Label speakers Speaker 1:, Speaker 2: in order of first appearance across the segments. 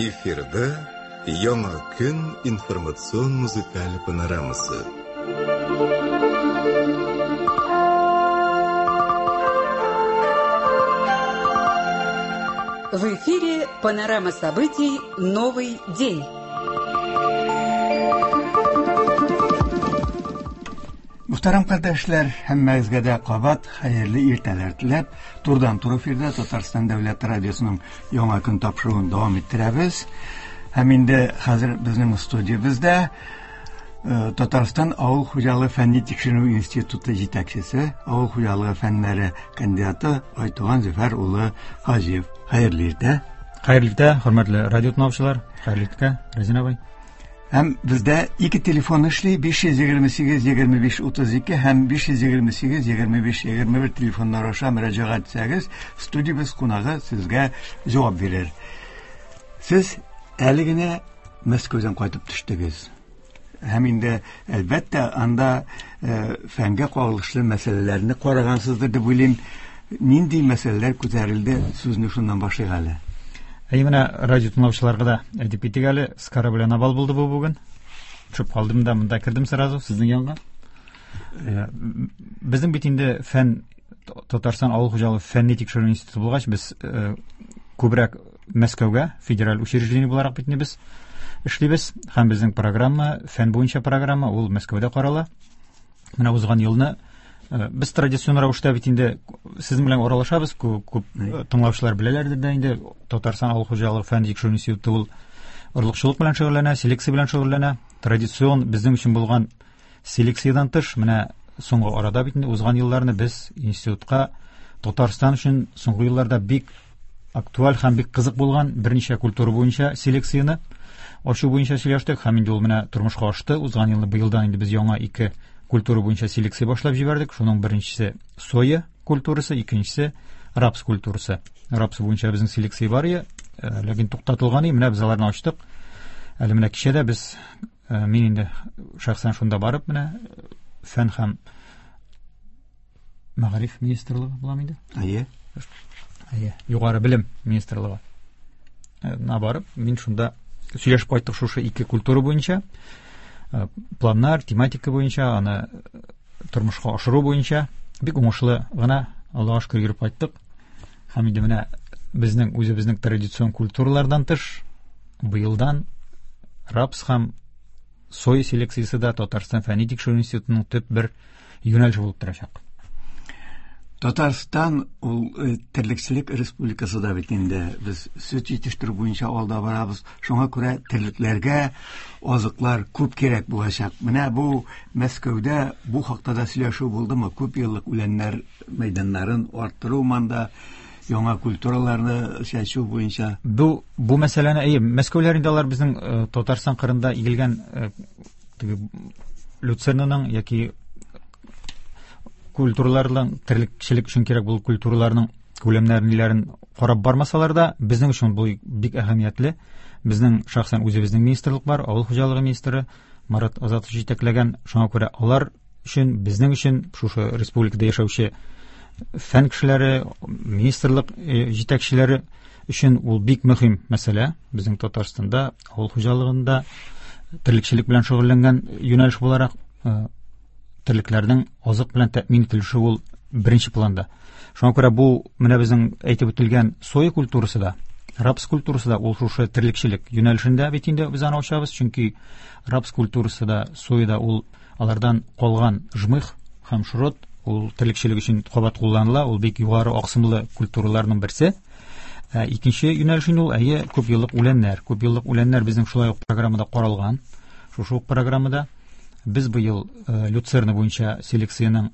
Speaker 1: Эфирда Яңа көн информацион музыкаль панорамасы.
Speaker 2: В эфире панорама событий «Новый день».
Speaker 3: Мөхтәрәм кардәшләр, һәммәгезгә дә кабат хәерле иртәләр теләп, турыдан-туры эфирда Татарстан дәүләт радиосының Яңа көн тапшыруын дәвам иттерәбез. Һәм инде хәзер безнең студиябездә э, Татарстан авыл хуҗалыгы фәнни тикшеренү институты җитәкчесе, авыл хуҗалыгы фәннәре кандидаты Айтуган Зөфәр улы Хаҗиев. Хәерле иртә.
Speaker 4: Хәерле иртә, хөрмәтле радио тыңлаучылар. Хәерле иртә, Рәзин абый.
Speaker 3: Һәм бездә ике телефон эшли, 528 25 32 һәм 528 25 21 телефоннар аша мөрәҗәгать итсәгез, студиябез кунагы сезгә җавап бирер. Сез әле генә Мәскәүдән кайтып төштегез. Һәм инде, әлбәттә, анда э, фәнгә кагылышлы мәсьәләләрне карагансыздыр дип уйлыйм. Нинди мәсьәләләр күтәрелде, сүзне шуннан башлыйк әле.
Speaker 4: Әй, менә радио тыңлаучыларга да әйтеп китик әле, с корабля на бал булды бу бүген. Төшеп калдым да монда кердем сразу сезнең янга. Э, безнең бит инде фән Татарстан авыл хуҗалыгы фәнни тикшерү институты булгач, без э, күбрәк Мәскәүгә федераль учреждение буларак бит инде без эшлибез һәм безнең программа, фән буенча программа, ул Мәскәүдә карала. Менә узган елны э, без традицион рәвештә бит инде сезнең белән аралашабыз, күп, күп э, тыңлаучылар беләләрдер дә инде Татарстан авыл хуҗалыгы фән тикшерү институты ул орлыкчылык белән шөгыльләнә, селекция белән шөгыльләнә. Традицион безнең өчен булган селекциядән тыш, менә соңгы арада бит инде узган елларны без институтка Татарстан өчен соңгы елларда бик актуаль һәм бик кызык булган берничә культура буенча селекцияне ачу буенча сөйләштек һәм инде ул менә тормышка ашты. Узган елны быелдан инде без яңа ике культура буенча селекция башлап җибәрдек. Шуның беренчесе соя культурасы, икенчесе рапс культурасы. Рапс буенча безнең селекция бар иде, э, ләкин туктатылган иде. Менә без аларны ачтык. Әле менә кичә дә без э, мин инде шәхсән шунда барып менә фән һәм Мәгариф министрлыгы була инде?
Speaker 3: Әйе.
Speaker 4: Әйе, югары белем министрлыгы. Э, на барып, мин шунда сөйләшеп кайттык шушы ике культура буенча. Э, планнар, тематика буенча, аны э, тормышка ашыру буенча бик уңышлы гына Аллага шөкер йөреп кайттык. Һәм инде менә безнең үзебезнең традицион культуралардан тыш быелдан рапс һәм Соя селекциясе дә Татарстан фәнни тикшерү институтының төп бер юнәлеше булып торачак.
Speaker 3: Татарстан ул э, терлекчелек республикасы да бит инде. Без сөт җитештерү буенча алда барабыз. Шуңа күрә терлекләргә азыклар күп кирәк булачак. Менә бу Мәскәүдә бу хакта да сөйләшү булдымы? Күп еллык үләннәр мәйданнарын арттыру манда яңа культураларны чәчү буенча.
Speaker 4: Бу бу мәсьәләне әйе, Мәскәүләр инде алар безнең э, Татарстан кырында игелгән э, теге люцернаның яки культураларның терлекчелек өчен кирәк булган культураларның күләмнәрен ниләрен карап бармасалар да, безнең өчен бу бик әһәмиятле. Безнең шәхсән үзебезнең министрлык бар, авыл хуҗалыгы министры Марат Азатов җитәкләгән, шуңа күрә алар өчен, безнең өчен шушы республикада яшәүче фән кешеләре, министрлык э, җитәкчеләре өчен ул бик мөһим мәсьәлә. Безнең Татарстанда авыл хуҗалыгында терлекчелек белән шөгыльләнгән юнәлеш буларак э, терлекләрнең азык белән тәэмин ителеше ул беренче планда. Шуңа күрә бу менә безнең әйтеп үтелгән соя культурасы да, рапс культурасы да ул шушы терлекчелек юнәлешендә бит инде без аны ачабыз, чөнки рапс культурасы да, соя да ул Алардан калган жмых һәм шрот ул терлекчелек өчен кабат кулланыла, ул бик югары аксымлы культураларның берсе. Ә, икенче юнәлеш инде ул әйе күп еллык үләннәр. Күп еллык үләннәр безнең шулай ук программада каралган. Шушы ук программада без быел э, люцерна буенча селекциянең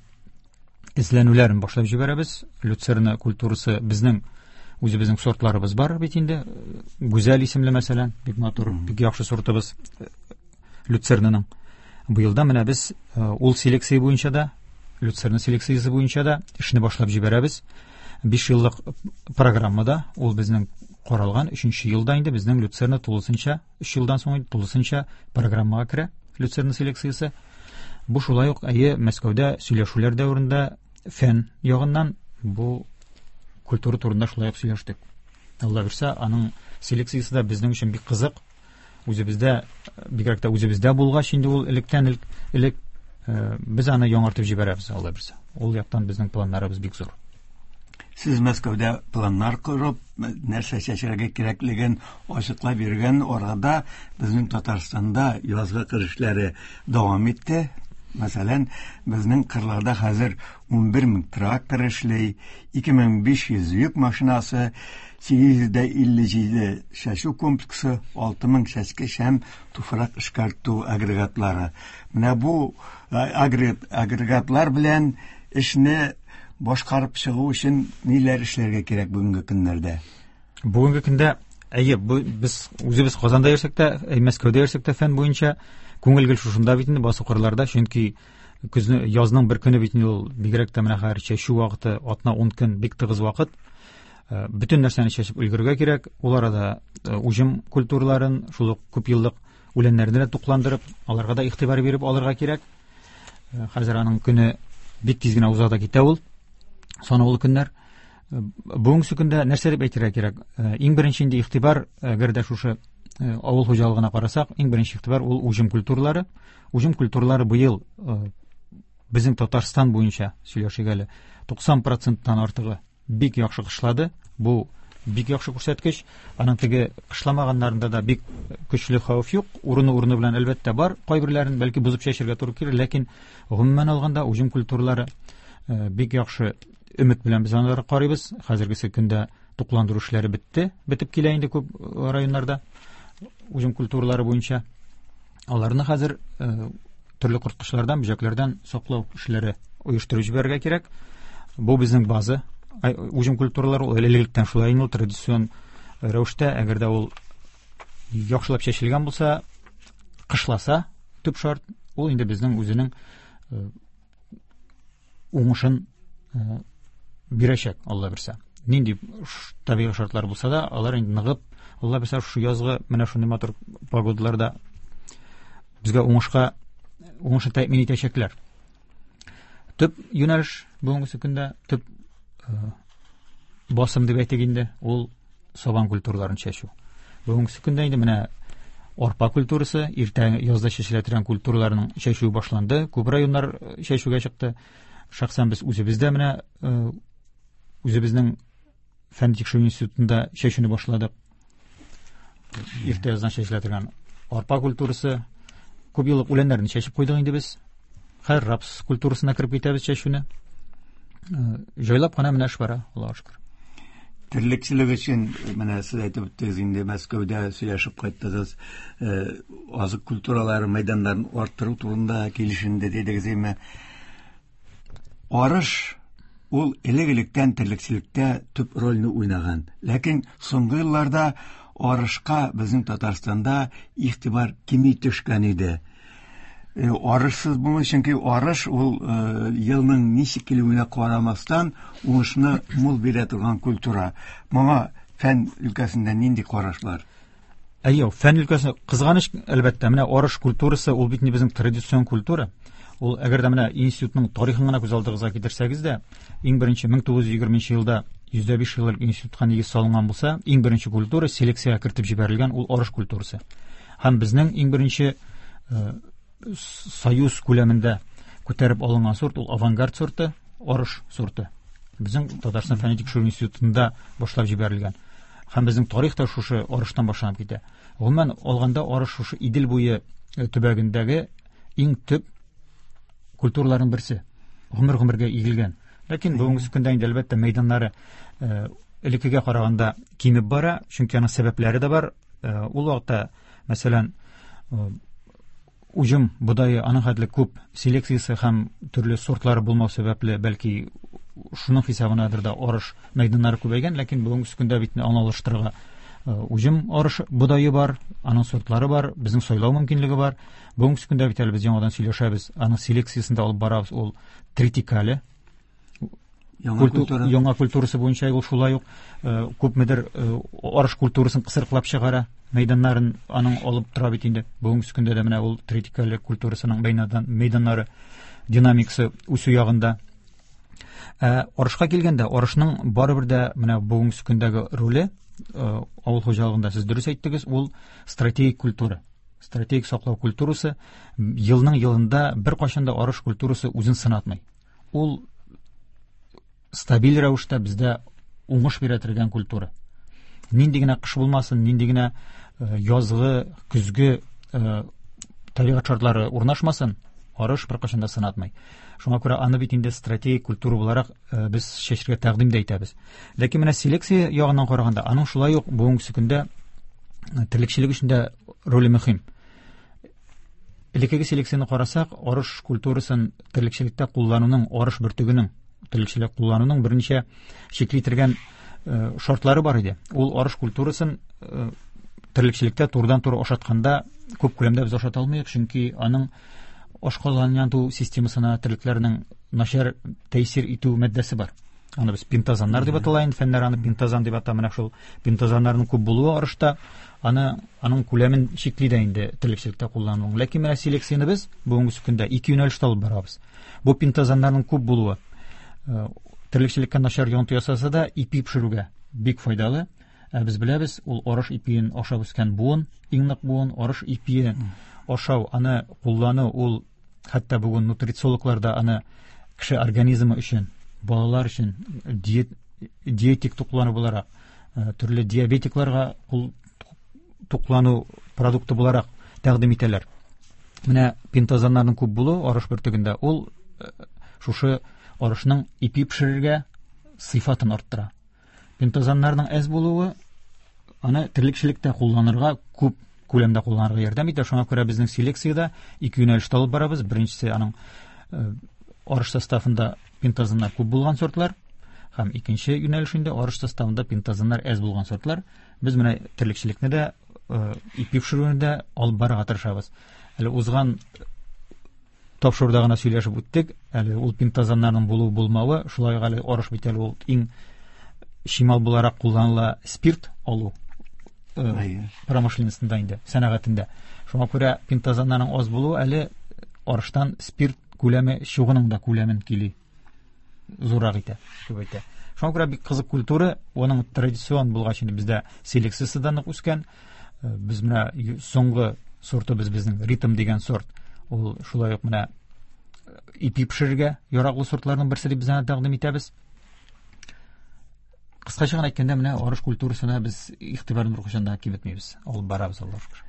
Speaker 4: эзләнүләрен башлап җибәрәбез. Люцерна культурасы безнең үзебезнең сортларыбыз бар бит инде. Гүзәл исемле мәсәлән, бик матур, бик яхшы сортыбыз люцернаның. Быелда менә без э, ул селекция буенча да, люцерна селекциясе буенча да эшне башлап җибәрәбез. 5 еллык программада ул безнең каралган 3 елда инде безнең люцерна тулысынча 3 елдан соң тулысынча программага керә люцерна селекциясе. Бу шулай ук әйе Мәскәүдә сөйләшүләр дәверендә фән ягыннан бу культура турында шулай ук сөйләштек. Алла бирсә, аның селекциясе дә безнең өчен бик кызык. Үзебездә, бигрәк тә үзебездә булгач инде ул электән элек без аны яңартып җибәрәбез, Алла бирсә. Ул яктан безнең планнарыбыз бик зур.
Speaker 3: Сез Мәскәүдә планнар корып, нәрсә чәчәргә кирәклеген ачыклап йөргән арада безнең Татарстанда язгы кыр эшләре дәвам итте. Мәсәлән, безнең кырларда хәзер 11 мең трактор эшли, 2500 йөк машинасы, 857 чәчү комплексы, 6000 чәчкеч һәм туфрак эшкәртү агрегатлары. Менә бу агрегатлар белән эшне башкарып чыгу өчен ниләр эшләргә кирәк бүгенге көннәрдә?
Speaker 4: Бүгенге көндә, әйе, без үзебез Казанда йөрсәк тә, Мәскәүдә йөрсәк тә фән буенча күңел гел шушында бит инде, басу кырларда, чөнки көзне, язның бер көне бит инде ул, бигрәк тә менә хәзер чәчү вакыты, атна 10 көн бик тыгыз вакыт. Бөтен нәрсәне чәчеп өлгерергә кирәк. Ул арада уҗым культураларын, шул ук күп еллык үләннәрне дә тукландырып, аларга да игътибар биреп алырга кирәк. Хәзер аның көне бик тиз генә уза да китә ул, санаулы көннәр. Бүгенге көндә нәрсә дип әйтергә кирәк? Иң беренче инде игътибар, әгәр дә шушы авыл хуҗалыгына карасак, иң беренче игътибар ул уҗым культуралары. Уҗым культуралары быел безнең Татарстан буенча сөйләшик әле, 90%-тан артыгы бик яхшы кышлады. Бу бик яхшы күрсәткеч. Аның теге кышламаганнарында да бик көчле хәвеф юк. Урыны-урыны белән әлбәттә бар. Кайберләрен бәлки бозып чәчергә туры килер, ләкин гомумән алганда уҗым культуралары бик яхшы өмет белән без аларга карыйбыз. Хәзергесе көндә тукландыру эшләре бетте, бетеп килә инде күп районнарда уҗым культуралары буенча. Аларны хәзер төрле корткычлардан, бөҗәкләрдән саклау эшләре оештырып җибәрергә кирәк. Бу безнең база. Уҗым культуралары ул элек-электән шулай инде, ул традицион рәвештә, әгәр дә ул яхшылап чәчелгән булса, кышласа, төп шарт, ул инде безнең үзенең уңышын бирәчәк, Алла бирсә. Нинди табигый шартлар булса да, алар инде ныгып, Алла бирсә, шушы язгы менә шундый матур погодаларда безгә уңышны тәэмин итәчәкләр. Төп юнәлеш бүгенге көндә, төп басым дип әйтик инде, ул сабан культураларын чәчү. Бүгенге көндә инде менә арпа культурасы, иртә язда чәчелә торган культураларның чәчүе башланды. Күп районнар чәчүгә чыкты. Шәхсән без үзебез дә менә үзебезнең фән тикшерү институтында чәчүне башладык. Иртә яздан чәчелә торган арпа культурасы, күп еллык үләннәрне чәчеп куйдык инде без. Хәзер рапс культурасына кереп китәбез чәчүне. Җайлап кына менә эш бара, Аллаһка шөкер.
Speaker 3: Терлекчелек өчен менә сез әйтеп үттегез инде, Мәскәүдә сөйләшеп кайттыгыз, азык культуралары мәйданнарын арттыру турында килешенде дидегез, әмма арыш ул элек-электән терлекчелектә төп рольне уйнаган. Ләкин соңгы елларда арышка безнең Татарстанда игътибар кими төшкән иде. Арышсыз булмый, чөнки арыш ул елның ничек килүенә карамастан уңышны мул бирә торган культура. Моңа фән өлкәсендә нинди карашлар?
Speaker 4: Әйе, фән өлкәсендә кызганыч, әлбәттә, менә арыш культурасы ул бит безнең традицион культура. Ул әгәр дә менә институтның тарихын гына күз алдыгызга китерсәгез дә, иң беренче мең тугыз йөз егерменче елда йөз дә биш еллык институтка нигез салынган булса, иң беренче культура селекциягә кертеп җибәрелгән ул арыш культурасы. Һәм безнең иң беренче союз күләмендә күтәреп алынган сорт ул авангард сорты, арыш сорты. Безнең Татарстан фәнни тикшерү институтында башлап җибәрелгән. Һәм безнең тарих та шушы арыштан башланып китә. Гомумән алганда арыш шушы Идел буе төбәгендәге иң төп культураларның берсе. Гомер-гомергә игелгән. Ләкин бүгенге көндә инде әлбәттә мәйданнары элеккегә караганда кимеп бара, чөнки аның сәбәпләре дә бар. Ул вакытта, мәсәлән, уҗым бодае аның хәтле күп селекциясе һәм төрле сортлары булмау сәбәпле, бәлки шуның хисабынадыр да арыш мәйданнары күбәйгән, ләкин бүгенге көндә бит аны алыштырырга уҗым арыш бодае бар, аның сортлары бар, безнең сайлау мөмкинлеге бар. Бүгенге көндә бит әле без яңадан сөйләшәбез, аның селекциясен дә алып барабыз, ул тритикале.
Speaker 3: Яңа культура.
Speaker 4: Яңа культурасы буенча ул шулай ук күпмедер арыш культурасын кысрыклап чыгара, мәйданнарын аның алып тора бит инде. Бүгенге көндә дә менә ул тритикале культурасының мәйданнары динамикасы үсү ягында. Ә арышка килгәндә, арышның барыбер дә менә бүгенге көндәге роле авыл хуҗалыгында, сез дөрес әйттегез, ул стратегик культура. Стратегик саклау культурасы елның елында беркайчан да арыш культурасы үзен сынатмый. Ул стабиль рәвештә бездә уңыш бирә торган культура. Нинди генә кыш булмасын, нинди генә язгы, көзге табигать шартлары урнашмасын, арыш беркайчан да сынатмый. Шуңа күрә аны бит инде стратегик культура буларак без чәчергә тәкъдим дә итәбез. Ләкин менә селекция ягыннан караганда, аның шулай ук бүгенге көндә терлекчелек өчен дә роле мөһим. Элеккеге селекцияне карасак, арыш культурасын терлекчелектә куллануның, арыш бөртегенең терлекчелек куллануның берничә чикли торган шартлары бар иде. Ул арыш культурасын терлекчелектә турыдан-туры ашатканда күп күләмдә без ашата алмыйк, чөнки аның ашказаны системасына терлекләрнең начар тәэсир итү матдәсе бар. Аны без пентозаннар дип атала инде, фәннәр аны пентозан дип ата. Менә шул пентозаннарның күп булуы арышта аны аның күләмен чикли дә инде терлекчелектә куллануның. Ләкин менә селекцияне без бүгенге көндә ике юнәлештә алып барабыз. Бу пентозаннарның күп булуы терлекчелеккә начар йогынты ясаса да, ипи пешерүгә бик файдалы. Ә без беләбез, ул арыш ипиен ашап үскән буын, иң нык буын, арыш ипие ашау, аны куллану, ул хәтта бүген нутрициологлар да аны кеше организмы өчен, балалар өчен диетик туклану буларак, төрле диабетикларга туклану продукты буларак тәкъдим итәләр. Менә пентозаннарның күп булуы арыш бөртегендә, ул шушы арышның ипи пешерергә сыйфатын арттыра. Пентозаннарның әз булуы аны терлекчелектә кулланырга, күп күләмдә кулланырга ярдәм итә. Шуңа күрә безнең селекциядә ике юнәлештә алып барабыз. Беренчесе аның арыш составында пентозаннар күп булган сортлар, һәм икенче юнәлеш инде арыш составында пентозаннар әз булган сортлар. Без менә терлекчелекне дә, ипи пешерүне дә алып барырга тырышабыз. Әле узган тапшыруда гына сөйләшеп үттек. Әле ул пентозаннарның булу булмавы, шулай ук әле арыш бит әле ул иң чимал буларак кулланыла спирт алу промышленностьнда инде, сәнәгатендә. Шуңа күрә пентозаннарның аз булуы әле арыштан спирт күләме чугының да күләмен кили зуррак итә, күбәйтә. Шуңа күрә бик кызык культура, аның традицион булгач инде бездә селекциясе дә нык үскән. Без менә соңгы сортыбыз безнең ритм дигән сорт. Ул шулай ук менә ипи пешерергә яраклы сортларның берсе дип без аны тәкъдим итәбез. Кыскача гына әйткәндә, менә арыш культурасына без игътибарны беркайчан да киметмибез. Алып барабыз, Аллаһ шөкер.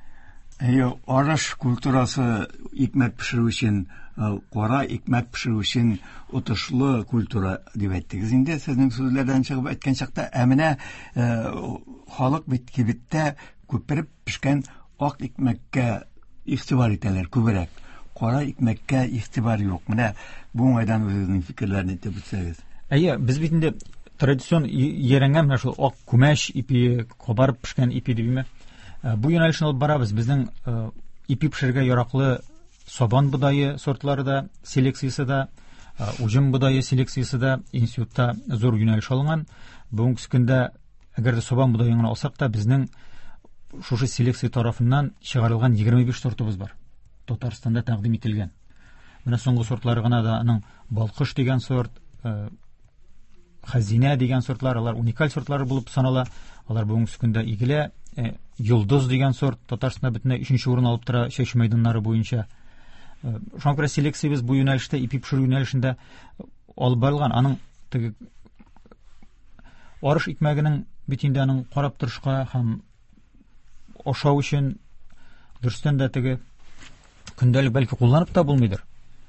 Speaker 3: Әйе, арыш культурасы икмәк пешерү өчен, кара икмәк пешерү өчен отышлы культура дип әйттегез инде, сезнең сүзләрдән чыгып әйткән чакта. Ә менә халык бит кибеттә күпереп пешкән ак икмәккә игътибар итәләр күбрәк. Кара икмәккә игътибар юк. Менә бу уңайдан үзегезнең фикерләрне әйтеп үтсәгез.
Speaker 4: Әйе, без бит инде традицион ярәнгән менә шул ак күмәч ипи, кабарып пешкән ипи дибме? Бу юнәлешне алып барабыз. Безнең ипи пешерергә яраклы сабан бодае сортлары да, селекциясе дә, уҗым бодае селекциясе дә институтта зур юнәлеш алынган. Бүгенге көндә, әгәр дә сабан бодаен гына алсак та, безнең шушы селекция тарафыннан чыгарылган 25 сортыбыз бар. Татарстанда тәкъдим ителгән. Менә соңгы сортлары гына да аның Балкыш дигән сорт, Хәзинә дигән сортлар, алар уникаль сортлар булып санала. Алар бүгенге көндә игелә. Йолдыз дигән сорт Татарстанда бөтенләй 3-нче урын алып тора чәчү мәйданнары буенча. Шуңа күрә селекциябез бу юнәлештә, ипи пешерү юнәлешендә алып барылган. Аның теге арыш икмәгенең бит инде аның карап торышка һәм ашау өчен дөрестән дә теге көндәлек бәлки кулланып та булмыйдыр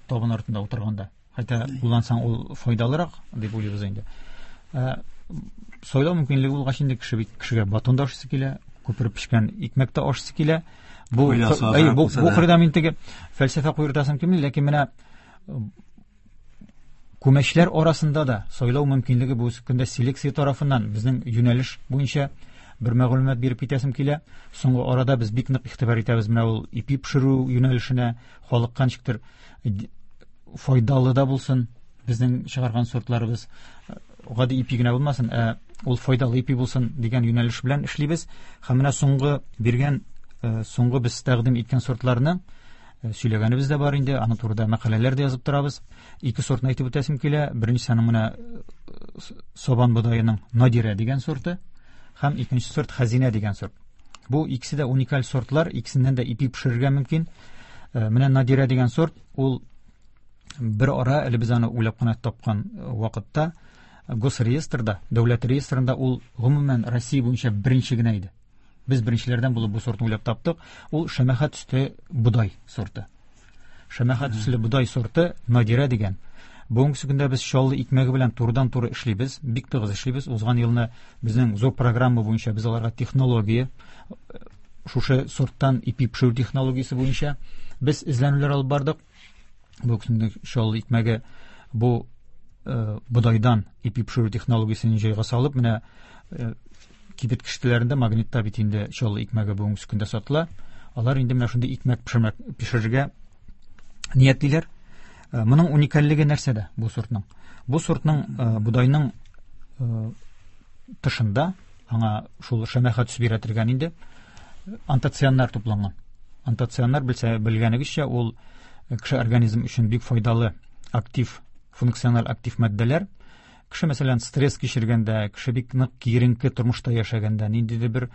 Speaker 4: табын артында утырганда. Хәтта куллансаң ул файдалырак дип уйлыйбыз инде. Сайлау мөмкинлеге булгач инде кеше бит кешегә батон да ашыйсы килә, күпереп пешкән икмәк тә ашыйсы килә. Бу бу кырда мин теге фәлсәфә куертасым килми, ләкин менә күмәчләр арасында да сайлау мөмкинлеге бу көндә селекция тарафыннан безнең юнәлеш буенча бер мәгълүмат биреп китәсем килә. Соңгы арада без бик нык игътибар итәбез менә ул ипи пешерү юнәлешенә, халыкка ничектер файдалы да булсын безнең чыгарган сортларыбыз, гади ипи генә булмасын, ә ул файдалы ипи булсын дигән юнәлеш белән эшлибез. Һәм менә соңгы биргән, соңгы без тәкъдим иткән сортларны Сөйләгәнебез дә бар инде, аның турында мәкаләләр дә язып торабыз. Ике сортны әйтеп үтәсем килә. Беренчесе аның менә сабан бодаеның Надирә дигән сорты һәм икенче сорт Хәзинә дигән сорт. Бу икесе дә уникаль сортлар, икесеннән дә ипи пешерергә мөмкин. Менә Надирә дигән сорт, ул бер ара әле без аны уйлап кына тапкан вакытта госреестрда, дәүләт реестрында ул гомумән Россия буенча беренче генә иде. Без беренчеләрдән булып бу сортны уйлап таптык. Ул шәмәхә төсле бодай сорты. Шәмәхә төсле бодай сорты Надирә дигән. Бүгенге көндә без Чаллы икмәге белән турыдан-туры эшлибез, бик тыгыз эшлибез. Узган елны безнең зур программа буенча без аларга технология, шушы сорттан ипи пешерү технологиясе буенча без эзләнүләр алып бардык. Бүгенге көндә Чаллы икмәге бу бодайдан ипи пешерү технологиясен җайга салып, менә кибет киштәләрендә, Магнитта бит инде Чаллы икмәге бүгенге көндә сатыла. Алар инде менә шундый икмәк пешерергә ниятлиләр. Моның уникальлеге нәрсәдә бу сортның? Бу сортның бодайның тышында аңа шул шәмәхә төс бирә торган инде антоцианнар тупланган. Антоцианнар, белгәнегезчә, ул кеше организм өчен бик файдалы актив, функциональ актив матдәләр. Кеше, мәсәлән, стресс кичергәндә, кеше бик нык киеренке тормышта яшәгәндә, ниндидер бер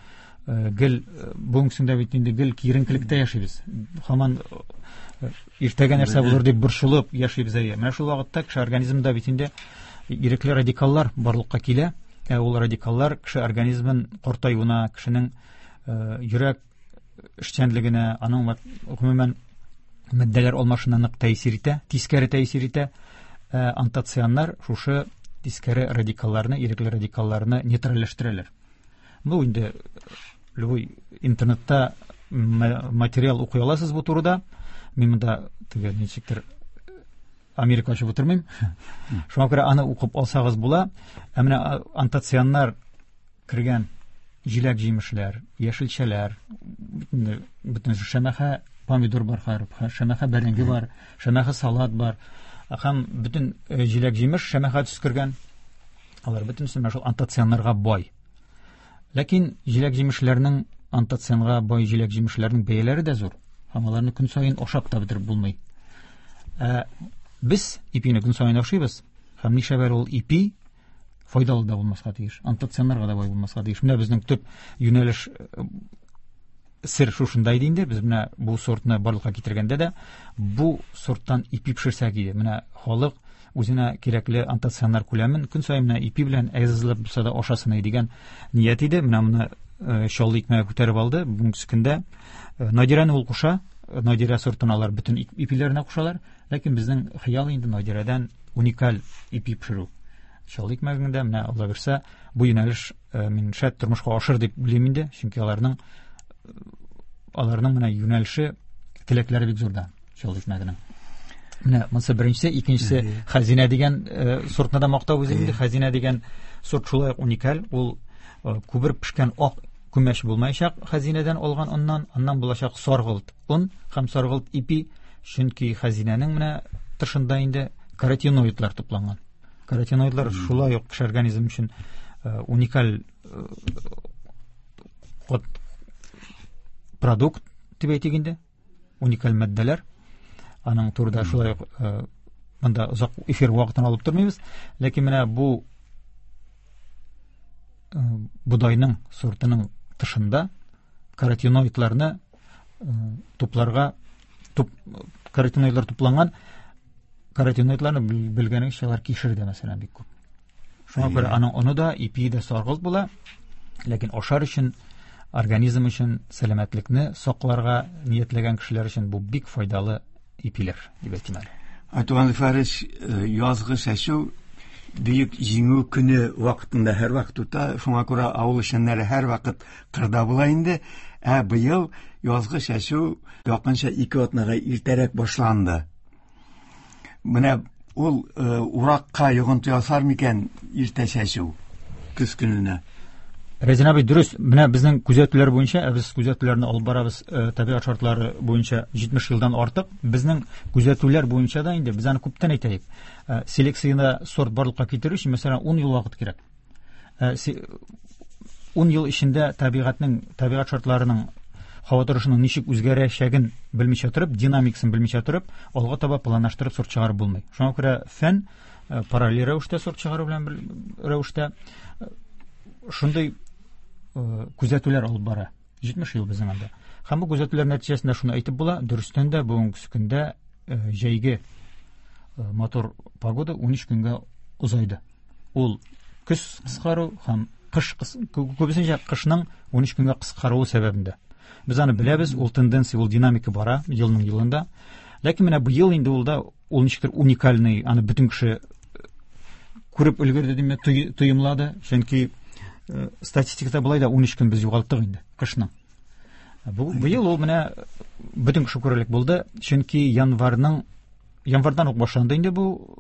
Speaker 4: гел бүгенге көндә бит инде гел киеренкелектә яшибез. Һаман иртәгә нәрсә булыр дип борчылып яшибез әйе. Менә шул вакытта кеше организмында бит инде ирекле радикаллар барлыкка килә. Ул радикаллар кеше организмын картаюына, кешенең йөрәк эшчәнлегенә, аның гомумән матдәләр алмашына нык тәэсир итә, тискәре тәэсир итә. Антоцианнар шушы тискәре радикалларны, ирекле радикалларны нейтральләштерәләр. Бу инде любой интернетта материал укый аласыз бу турыда. Мин монда теге ничектер Америка ачып утырмыйм. Шуңа күрә аны укып алсагыз була. Ә менә антоцианнар кергән җиләк-җимешләр, яшелчәләр, бөтен шәмәхә помидор бар, шәмәхә бәрәңге бар, шәмәхә салат бар. Һәм бөтен җиләк-җимеш шәмәхә төс кергән. Алар бөтенесе менә шул антоцианнарга бай. Ләкин җиләк-җимешләрнең, антоцианга бай җиләк-җимешләрнең бәяләре дә зур. Һәм аларны көн саен ашап та бетереп булмый. Без ипине көн саен ашыйбыз. Һәм нишләп әле ул ипи файдалы да булмаска тиеш, антоцианнарга да бай булмаска тиеш. Менә безнең төп юнәлеш сер шушында иде инде. Без менә бу сортны барлыкка китергәндә дә бу сорттан ипи пешерсәк иде. Менә халык үзенә кирәкле антоцианнар күләмен көн саен менә ипи белән әзерләп булса да ашасын иде дигән ният иде. Менә моны Чаллы икмәге күтәреп алды. Бүгенге көндә Надирәне ул куша. Надирә сортын алар бөтен ипиләренә кушалар. Ләкин безнең хыял инде Надирәдән уникаль ипи пешерү. Чаллы икмәгендә менә Алла бирсә, бу юнәлеш мин шәт тормышка ашыр дип уйлыйм инде, чөнки аларның менә юнәлеше, теләкләре бик зурда Чаллы икмәгенең. Менә монысы беренчесе, икенчесе Хәзинә дигән сортны да мактап үзем инде. Хәзинә дигән сорт шулай ук уникаль. Ул күбер пешкән ак күмәч булмаячак Хәзинәдән алган оннан, аннан булачак саргылт он һәм саргылт ипи, чөнки Хәзинәнең менә тышында инде каротиноидлар тупланган. Каротиноидлар шулай ук кеше организм өчен уникаль продукт дип әйтик инде, уникаль матдәләр. Аның турыда шулай ук монда озак эфир вакытын алып тормыйбыз. Ләкин менә бу бодайның сортының тышында каротиноидларны тупларга, каротиноидлар тупланган. Каротиноидларны белгәнегезчә, алар кишердә мәсәлән бик күп. Шуңа күрә аның оны да, ипие дә саргылт була. Ләкин ашар өчен, организм өчен, сәламәтлекне сакларга ниятләгән кешеләр өчен бу бик файдалы ипиләр дип әйтим әле.
Speaker 3: Айтуган Зөфәрович, язгы чәчү Бөек Җиңү көне вакытында һәрвакыт үтә, шуңа күрә авыл эшчәннәре һәрвакыт кырда була инде. Ә быел язгы чәчү якынча 2 атнага иртәрәк башланды. Менә ул уракка йогынты ясар микән иртә чәчү көз көненә?
Speaker 4: Рәзин абый, дөрес, менә безнең күзәтүләр буенча, ә без күзәтүләрне алып барабыз табигать шартлары буенча 70 елдан артык, безнең күзәтүләр буенча да инде без аны күптән әйтәйек. Селекцияда сорт барлыкка китерү өчен, мәсәлән, 10 ел вакыт кирәк. 10 ел эчендә табигать шартларының Һава торышының ничек үзгәрәчәген белмичә торып, динамикасын белмичә торып, алга таба планлаштырып сорт чыгарып булмый. Шуңа күрә фән параллель рәвештә сорт чыгару белән бер рәвештә шундый күзәтүләр алып бара. 70 ел безнең анда. Һәм бу күзәтүләр нәтиҗәсендә шуны әйтеп була, дөрестән дә бүгенге көндә җәйге матур погода 13 көнгә озайды. Ул көз кыскару һәм кыш күбесенчә кышның 13 көнгә кыскаруы сәбәбендә. Без аны беләбез, ул тенденция, ул динамика бара елның елында. Ләкин менә быел инде ул да ул ничектер уникальный, аны бөтен кеше күреп өлгерде димме, тоемлады. Чөнки статистикада болай да 13 көн без югалттык инде кышның. Бу быел ул менә бөтен кеше күрерлек булды, чөнки январьдан ук башланды инде бу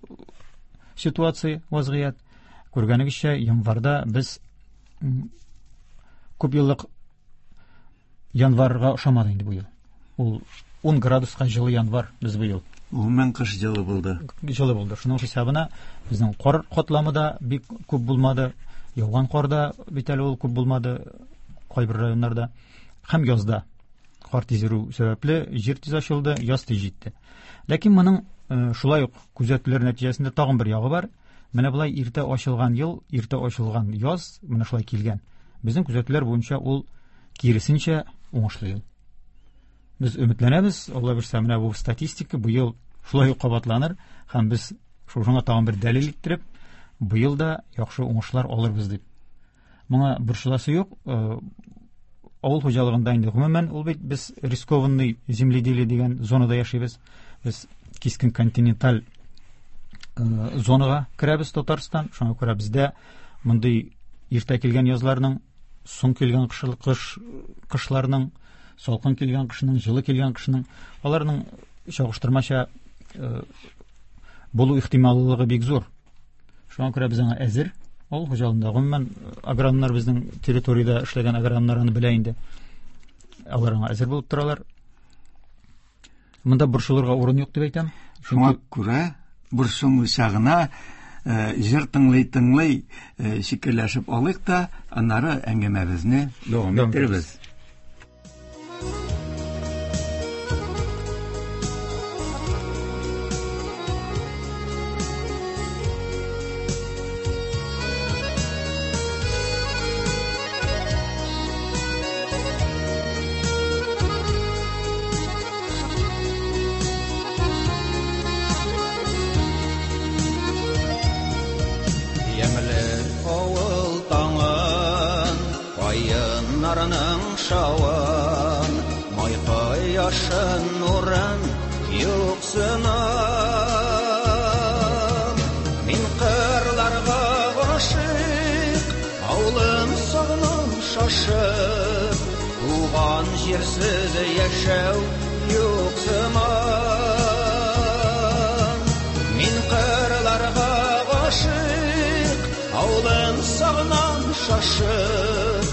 Speaker 4: ситуация, вазгыять. Күргәнегезчә, январьда без күп еллык январьга ошамады инде бу ел. Ул 10 градуска җылы январь без быел.
Speaker 3: Гомумән кыш җылы булды.
Speaker 4: Җылы булды. Шуның хисабына безнең кар катламы да бик күп булмады. Яуган кар да бит әле ул күп булмады кайбер районнарда. Һәм язда кар тиз эрү сәбәпле җир тиз ачылды, яз тиз җитте. Ләкин моның шулай ук күзәтүләр нәтиҗәсендә тагын бер ягы бар. Менә болай иртә ачылган ел, иртә ачылган яз менә шулай килгән. Безнең күзәтүләр буенча ул киресенчә уңышлы ел. Без өметләнәбез, Алла бирсә, менә бу статистика быел шулай ук кабатланыр һәм без шушыңа тагын бер дәлил иттереп, быел да яхшы уңышлар алырбыз дип. Моңа борчыласы юк. Авыл хуҗалыгында инде гомумән ул бит без рискованный земледелие дигән зонада яшибез. Без кискен континенталь зонага керәбез Татарстан. Шуңа күрә бездә мондый иртә килгән язларның, соң килгән кышларның, салкын килгән кышның, җылы килгән кышның, аларның чагыштырмача булу ихтималлыгы бик зур. Шуңа күрә без аңа әзер. Авыл хуҗалыгында гомумән агрономнар, безнең территориядә эшләгән агрономнар аны белә инде. Алар аңа әзер булып торалар. Монда борчылырга урын юк дип әйтәм.
Speaker 3: Шуңа күрә борчылмыйча гына җыр тыңлый-тыңлый шикелләшеп алыйк та, аннары әңгәмәбезне дәвам иттербез.
Speaker 5: Шауын, май кояшын нурын юксынам. Мин кырларга гашыйк, авылым сагынам шашып, туган җирсез яшәү юк сыман. Мин кырларга гашыйк, авылым сагынам шашып,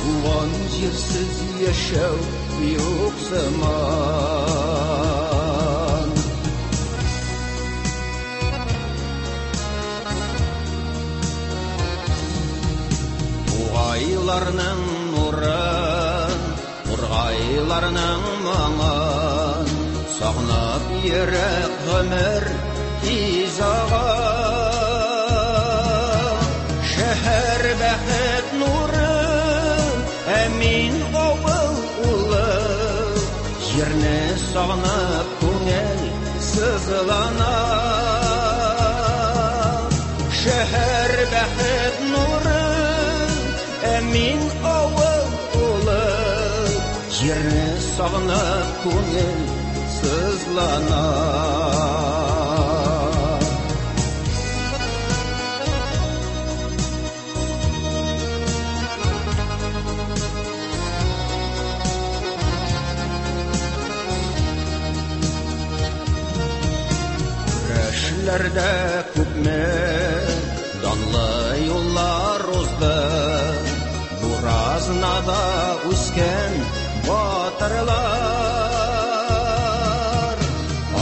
Speaker 5: туган җирсез яшәү юк сыман. Тугайларның нурын, тургайларның моңын сагынып йөрәк гомер тиз ага. Шәһәр бәхет нуры, ә мин авыл улы, җирне сагынып күңел сызлана. Шәһәр бәхет нуры, ә мин авыл улы, җирне сагынып күңел сызлана. Көрәшләрдә күпме данлы юллар узды, Буразнада үскән батырлар.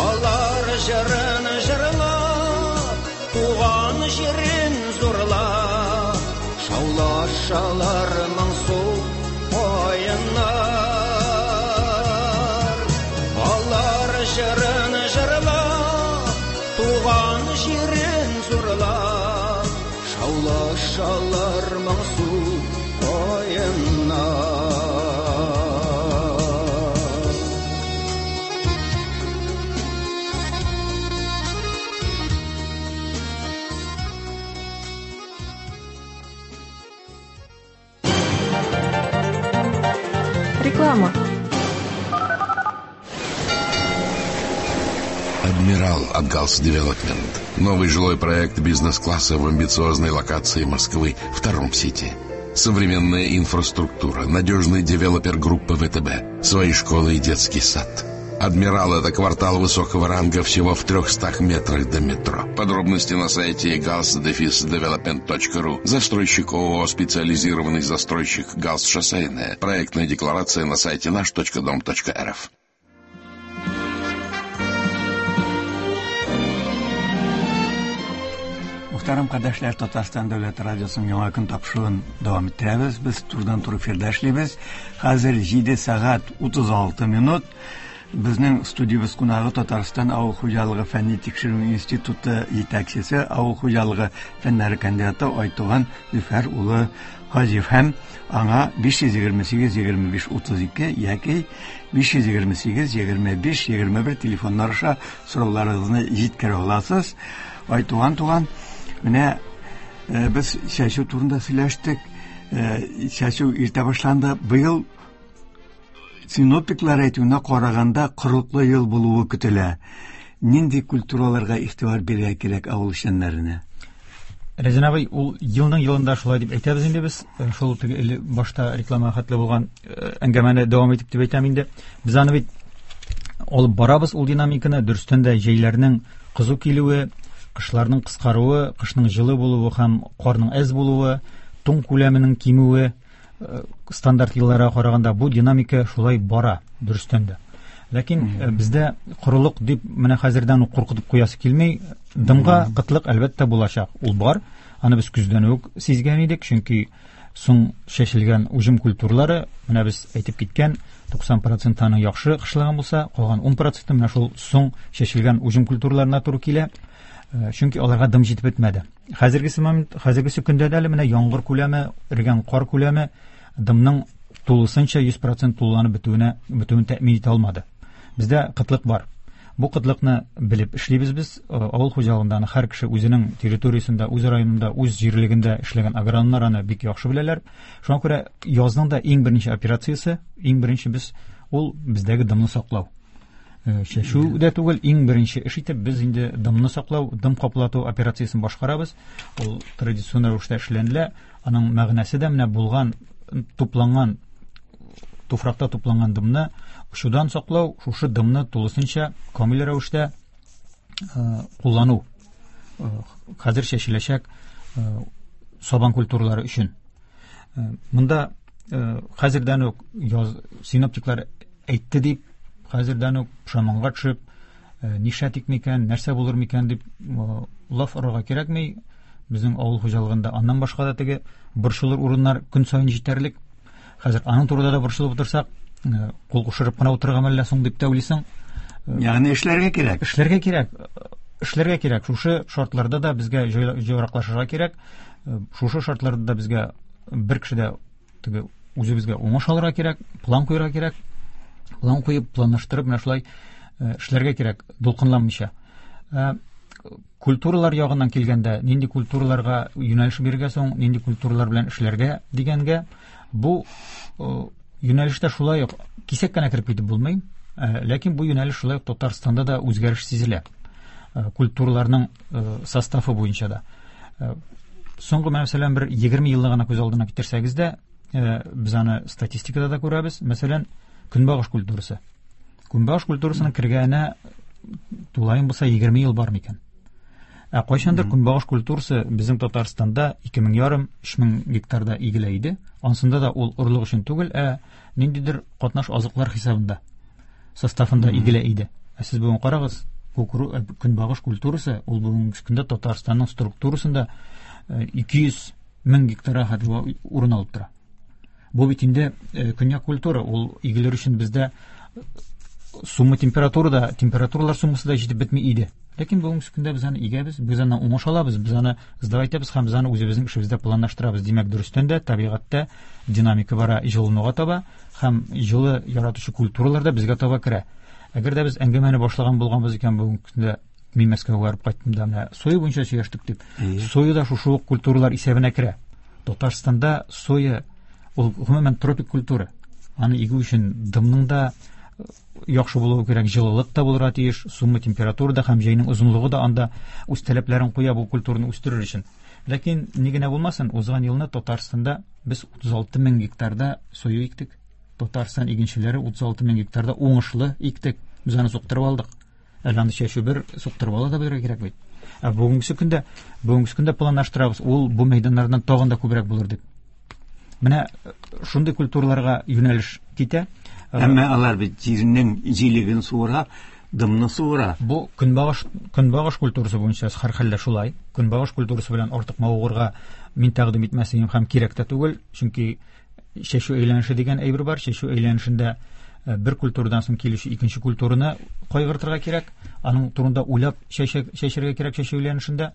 Speaker 5: Алар җырын җырлап, туган җирен зурлап, шаулашалар моңсу каеннар. җирен зурлап, шаулашалар моңсу каеннар.
Speaker 6: Реклама.
Speaker 7: Адмирал от Галс Девелопмент. Новый жилой проект бизнес-класса в амбициозной локации Москвы, втором Сити. Современная инфраструктура, надежный девелопер группы ВТБ, свои школы и детский сад. Адмирал – это квартал высокого ранга всего в 300 метрах до метро. Подробности на сайте gals-development.ru. Застройщик ООО «Специализированный застройщик Галс Шоссейная». Проектная декларация на сайте наш.дом.рф.
Speaker 3: Мөхтәрәм кардәшләр, Татарстан дәүләт радиосының яңа көн тапшыруын дәвам иттерәбез. Без турыдан туры эфирда эшлибез. Хәзер 7 сәгать 36 минут. Безнең студиябез кунагы Татарстан авыл хуҗалыгы фәнни тикшерү институты җитәкчесе, авыл хуҗалыгы фәннәре кандидаты Айтуган Зөфәр улы Хаҗиев һәм аңа 528 25 32 яки 528 25 21 телефоннар аша сорауларыгызны җиткерә аласыз. Айтуган туган, менә без чәчү турында сөйләштек. Чәчү иртә башланды. Быел синоптиклар әйтүенә караганда корыклы ел булуы көтелә. Нинди культураларга игътибар бирергә кирәк авыл эшчәннәренә?
Speaker 4: Рәзин абый, ул елның елында шулай дип әйтәбез инде без. Шул теге эле башта реклама хәтле булган әңгәмәне дәвам итеп дип әйтәм инде. Без аны бит алып барабыз ул динамиканы. Дөрестән дә җәйләрнең кызу килүе, кышларның кыскаруы, кышның җылы булуы һәм карның әз булуы, туң күләменең кимүе стандарт елларга караганда бу динамика шулай бара, дөрестән дә. Ләкин бездә корылык дип менә хәзердән үк куркытып куясы килми. Дымга кытлык әлбәттә булачак, ул бар. Аны без көздән үк сизгән идек, чөнки соң чәчелгән уҗым культуралары, менә без әйтеп киткән 90% аның яхшы кышлаган булса, калган 10% менә шул соң чәчелгән уҗым культураларына туры килә. Чөнки аларга дым җитеп бетмәде. Хәзергесе момент, хәзергесе көндә дә әле менә яңгыр күләме, эргән кар күләме дымның тулысынча 100% тулыланып бетүен тәэмин итә алмады. Бездә кытлык бар. Бу кытлыкны белеп эшлибез без. Авыл хуҗалыгында аны һәр кеше үзенең территориясендә, үз районында, үз җирлегендә эшләгән агрономнар аны бик яхшы беләләр. Шуңа күрә язның да иң беренче операциясе, иң беренче без ул бездәге дымны саклау. Чәчү дә түгел, иң беренче эш итеп без инде дымны саклау, дым каплату операциясен башкарабыз. Ул традицион рәвештә эшләнелә. Аның мәгънәсе дә менә булган, тупланган, туфракта тупланган дымны очудан саклау, шушы дымны тулысынча камил рәвештә куллану. Хәзер чәчеләчәк сабан культуралары өчен. Монда хәзердән үк синоптиклар әйтте дип, хәзердән үк пошаманга төшеп, нишләтик микән, нәрсә булыр микән дип лаф орырга кирәкми. Безнең авыл хуҗалыгында аннан башка да теге борчылыр урыннар көн саен җитәрлек. Хәзер аның турында да борчылып утырсак, кул кушырып кына утырырга мәллә соң дип тә уйлыйсың.
Speaker 3: Ягъни эшләргә кирәк.
Speaker 4: Эшләргә кирәк. Эшләргә кирәк. Шушы шартларда да безгә җайраклашырга кирәк. Шушы шартларда да безгә бер кеше дә теге үзебезгә уңыш алырга кирәк, план куярга кирәк. План куеп, планлаштырып, менә шулай эшләргә кирәк, дулкынланмыйча. Культуралар ягыннан килгәндә, нинди культураларга юнәлеш бирергә соң, нинди культуралар белән эшләргә дигәнгә, бу юнәлештә шулай ук кисәк кенә кереп китеп булмый, ләкин бу юнәлеш шулай ук Татарстанда да үзгәреш сизелә. Культураларның составы буенча да. Соңгы, мәсәлән, бер 20 елны гына күз алдына китерсәгез дә, без аны статистикада да күрәбез. Мәсәлән, көнбагыш культурасы. Көнбагыш культурасының кергәненә тулаем булса 20 ел бар микән? Ә кайчандыр көнбагыш культурасы безнең Татарстанда ике мең ярым, өч мең гектарда игелә иде. Ансында да ул орлык өчен түгел, ә ниндидер катнаш азыклар хисабында, составында игелә иде. Ә сез бүген карагыз, көнбагыш культурасы ул бүгенге көндә Татарстанның структурасында 200 мең гектарга хәтле урын алып тора. Бу бит инде көньяк культура, ул игелер өчен бездә Сумма температура температуралар суммасы да җитеп бетми иде. Ләкин бүгенге көндә без аны игәбез, без аны уңыш алабыз, без аны сдавать итәбез һәм без аны үзебезнең эшебездә планлаштырабыз. Димәк, дөрестән дә табигатьтә динамика бара җылынуга таба һәм җылы яратучы культуралар да безгә таба керә. Әгәр дә без әңгәмәне башлаган булганбыз икән, бүгенге көндә мин Мәскәүгә барып кайттым да, менә соя буенча сөйләштек дип. Соя да шушы ук культуралар исәбенә керә. Татарстанда соя ул гомумән тропик культура. Аны игү өчен дымның да яхшы булуы кирәк, җылылык та булырга тиеш, сумма температура да һәм җәйнең озынлыгы да анда үз таләпләрен куя бу культураны үстерер өчен. Ләкин ни генә булмасын, узган елны Татарстанда без 36 мең гектарда соя иктек. Татарстан игенчеләре 36 мең гектарда уңышлы иктек. Без аны суктырып алдык. Әле аны чәчү бер, суктырып ала да белергә кирәк бит. Ә бүгенге көндә планлаштырабыз, ул бу мәйданнардан тагын да күбрәк булыр дип. Менә шундый культураларга юнәлеш китә.
Speaker 3: Әмма алар бит җирнең җилеген суыра, дымны суыра.
Speaker 4: Бу көнбагыш культурасы буенча һәрхәлдә шулай. Көнбагыш культурасы белән артык мавыгырга мин тәкъдим итмәс идем һәм кирәк тә түгел, чөнки чәчү әйләнеше дигән әйбер бар. Чәчү әйләнешендә бер культурадан соң килүче икенче культураны кайгыртырга кирәк. Аның турында уйлап чәчәргә кирәк чәчү әйләнешендә.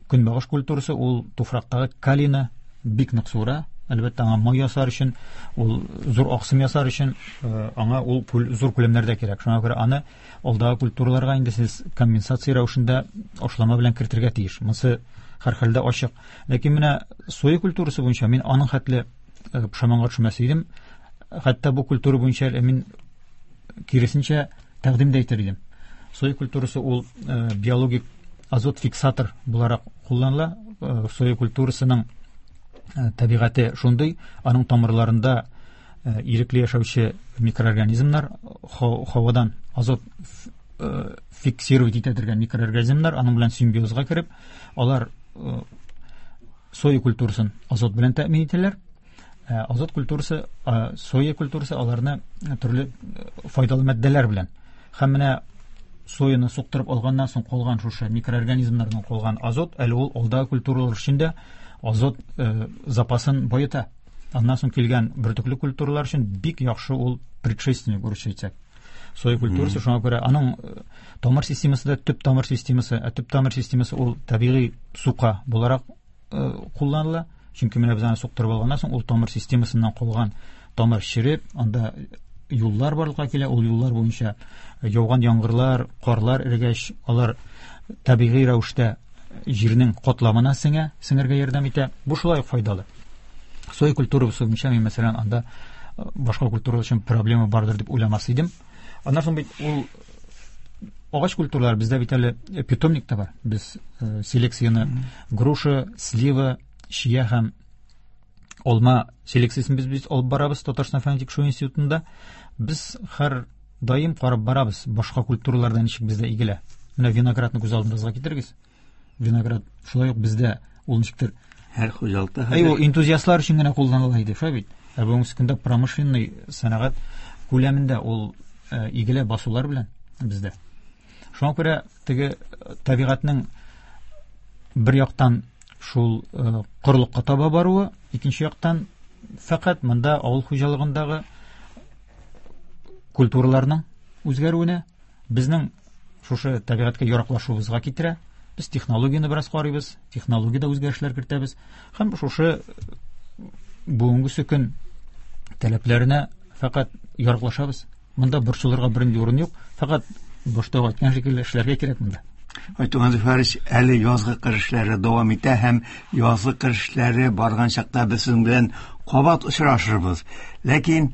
Speaker 4: Көнбагыш культурасы ул туфрактагы калийны бик нык суыра. Әлбәттә, аңа май ясар өчен, ул зур аксым ясар өчен, аңа ул зур күләмнәрдә кирәк. Шуңа күрә аны алдагы культураларга инде сез компенсация рәвешендә ашлама белән кертергә тиеш. Монысы һәрхәлдә ачык. Ләкин менә соя культурасы буенча мин аның хәтле пошаманга төшмәс идем. Хәтта бу культура буенча мин киресенчә тәкъдим дә итәр идем. Соя культурасы ул биологик азот фиксатор буларак кулланыла. Соя культурасының табигате шундый, аның тамырларында ирекле яшәүче микроорганизмнар, һавадан азот фиксировать итә торган микроорганизмнар, аның белән симбиозга кереп, алар соя культурасын азот белән тәэмин итәләр. Азот культурасы, соя культурасы аларны төрле файдалы матдәләр белән. Һәм менә сояны суктырып алганнан соң калган шушы микроорганизмнардан калган азот әле ул алдагы культуралар өчен дә азот запасын баета. Аннан соң килгән бөртекле культуралар өчен бик яхшы ул предшественник, урысча әйтсәк. Соя культурасы, шуңа күрә аның тамыр системасы да төп тамыр системасы, ә төп тамыр системасы ул табигый сука буларак кулланыла. Чөнки менә без аны суктырып алганнан соң ул тамыр системасыннан калган тамыр череп, анда юллар барлыкка килә. Ул юллар буенча яуган яңгырлар, карлар эрегәч, алар табигый рәвештә җирнең катламына сеңә, сеңәргә ярдәм итә. Бу шулай ук файдалы. Соя культурасы буенча мин, мәсәлән, анда башка культуралар өчен проблема бардыр дип уйламас идем. Аннан соң бит ул агач культуралар бездә бит әле питомник та бар. Без селекцияне груша, слива, чия һәм алма селекциясен без алып барабыз Татарстан фәнни тикшерү институтында. Без һәр даим карап барабыз, башка культураларда ничек бездә игелә. Менә виноградны күз алдыгызга китерегез. Виноград шулай ук бездә ул ничектер
Speaker 3: һәр хуҗалыкта
Speaker 4: Әй, ул энтузиастлар өчен генә кулланыла иде, шулай бит. Ә бүгенге көндә промышленный сәнәгать күләмендә ул игелә басулар белән бездә. Шуңа күрә теге табигатьнең бер яктан шул корылыкка таба баруы, икенче яктан фәкать монда авыл хуҗалыгындагы культураларның үзгәрүенә, безнең шушы табигатькә яраклашуыбызга китерә. Без технологияне бераз карыйбыз, технологиядә үзгәрешләр кертәбез һәм шушы бүгенге көн таләпләренә фәкать яраклашабыз. Монда борчылырга бернинди урын юк, фәкать башта әйткән шикелле эшләргә кирәк монда.
Speaker 3: Айтуган Зөфәрович, әле язгы кыр эшләре дәвам итә һәм язгы кыр эшләре барган чакта без сезнең белән кабат очрашырбыз. Ләкин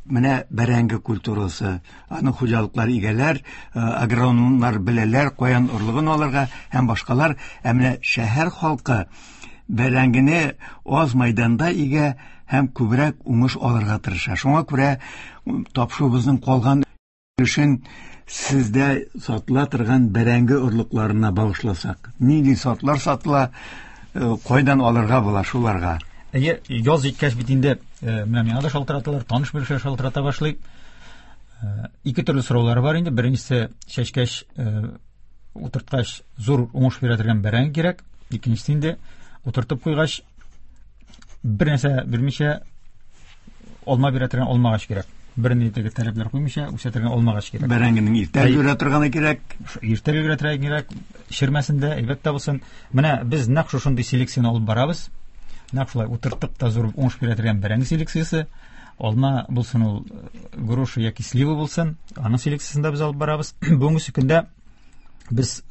Speaker 3: менә бәрәңге культурасы, аны хуҗалыклар игәләр, агрономнар беләләр, каян орлыгын алырга һәм башкалар. Ә менә шәһәр халкы бәрәңгене аз мәйданда игә һәм күбрәк уңыш алырга тырыша. Шуңа күрә тапшыруыбызның калган өлешен сездә сатыла торган бәрәңге орлыкларына багышласак. Нинди сортлар сатыла, кайдан алырга була шуларга?
Speaker 4: Әйе, яз җиткәч бит инде, менә миңа да шалтыраталар, таныш белешләр шалтырата башлый. Ике төрле сораулары бар инде. Беренчесе, чәчкәч, утырткач зур уңыш бирә торган бәрәңге кирәк. Икенчесе инде утыртып куйгач бер нәрсә бирмичә алма бирә торган алмагач кирәк. Бернинди теге таләпләр куймыйча үсә торган алмагач кирәк.
Speaker 3: Бәрәңгенең иртә өлгерә торганы кирәк.
Speaker 4: Иртә өлгерә торганы кирәк. Чермәсен дә, әйбәт тә булсын. Менә без нәкъ шушындый селекцияне алып барабыз. Нәкъ шулай утырттык та зур уңыш бирә торган бәрәңге селекциясе. Алма булсын ул, груша яки слива булсын, аның селекциясен дә без алып барабыз. Бүгенге көндә без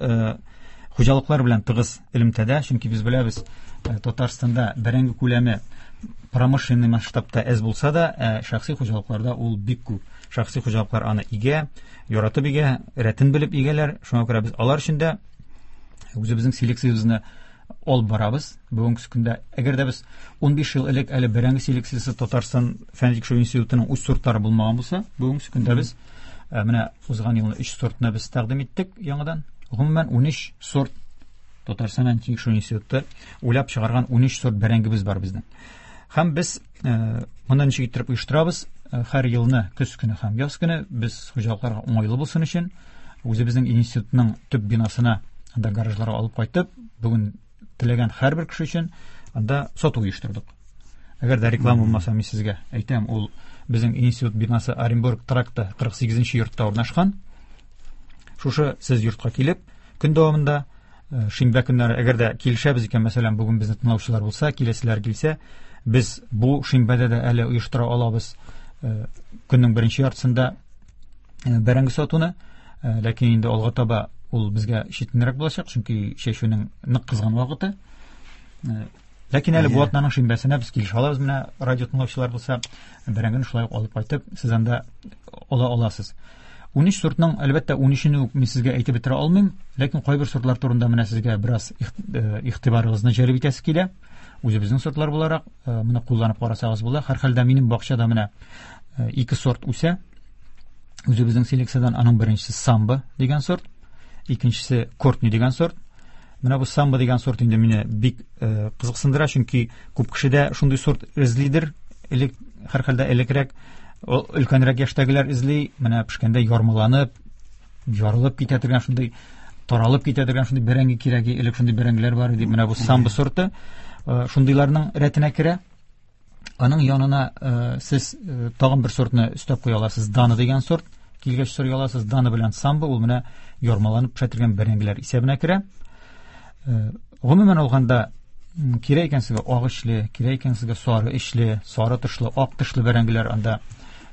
Speaker 4: хуҗалыклар белән тыгыз элемтәдә, чөнки без беләбез, Татарстанда бәрәңге күләме промышленный масштабта әз булса да, шәхси хуҗалыкларда ул бик күп. Шәхси хуҗалыклар аны игә, яратып игә, рәтен белеп игәләр. Шуңа күрә без алар өчен дә үзебезнең селекциябезне алып барабыз. Бүгенге көндә, әгәр дә без 15 ел элек әле бәрәңге селекциясе Татарстан фән тикшерү институтының үз сортлары булмаган булса, бүгенге көндә без менә узган елны 3 сортны без тәкъдим иттек яңадан. Гомумән 13 сорт Татарстан фән тикшерү институты уйлап чыгарган 13 сорт бәрәңгебез бар безнең. Һәм без моны ничек иттереп оештырабыз? Һәр елны көз көне һәм яз көне без хуҗалыкларга уңайлы булсын өчен үзебезнең институтның төп бинасына, анда гаражларга алып кайтып, бүген теләгән һәрбер кеше өчен анда сату оештырдык. Әгәр дә реклама булмаса, мин сезгә әйтәм, ул безнең институт бинасы Оренбург тракты 48 йортта урнашкан. Шушы сез йортка килеп, көн дәвамында шимбә көннәре, әгәр дә килешәбез икән, мәсәлән, бүген безне тыңлаучылар булса, киләселәр килсә, без бу шимбәдә дә әле оештыра алабыз көннең беренче яртысында бәрәңге сатуны, ләкин инде алга таба ул безгә читенрәк булачак, чөнки чәчүнең нык кызган вакыты. Ләкин әле бу атнаның шимбәсенә без килешә алабыз, менә радио тыңлаучылар булса, бәрәңгене шулай ук алып кайтып, сез анда ала аласыз. 13 сортның, әлбәттә, 13-не үк мин сезгә әйтеп бетерә алмыйм, ләкин кайбер сортлар турында менә сезгә бераз игътибарыгызны җәлеп итәсе килә. Үзебезнең сортлар буларак, моны кулланып карасагыз була. Һәрхәлдә минем бакчада менә 2 сорт үсә. Үзебезнең селекциядән аның беренчесе Самбо дигән сорт, икенчесе Кортни дигән сорт. Менә бу Самбо дигән сорт инде мине бик кызыксындыра, чөнки күп кеше дә шундый сорт эзлидер. Элек, һәрхәлдә элекрәк, өлкәнрәк яшьтәгеләр эзли, менә пешкәндә ярмаланып, ярылып китә торган шундый, таралып китә торган шундый бәрәңге кирәк, элек шундый бәрәңгеләр бар иде. Менә бу Самбо сорты шундыйларның рәтенә керә. Аның янына сез тагын бер сортны өстәп куя аласыз, Дана дигән сорт. Килгәч сорый аласыз, Дана белән Самбо ул менә ярмаланып пешә торган бәрәңгеләр исәбенә керә. Гомумән алганда, кирәк икән сезгә ак эчле, кирәк икән сезгә сары эчле, сары тышлы, ак тышлы бәрәңгеләр анда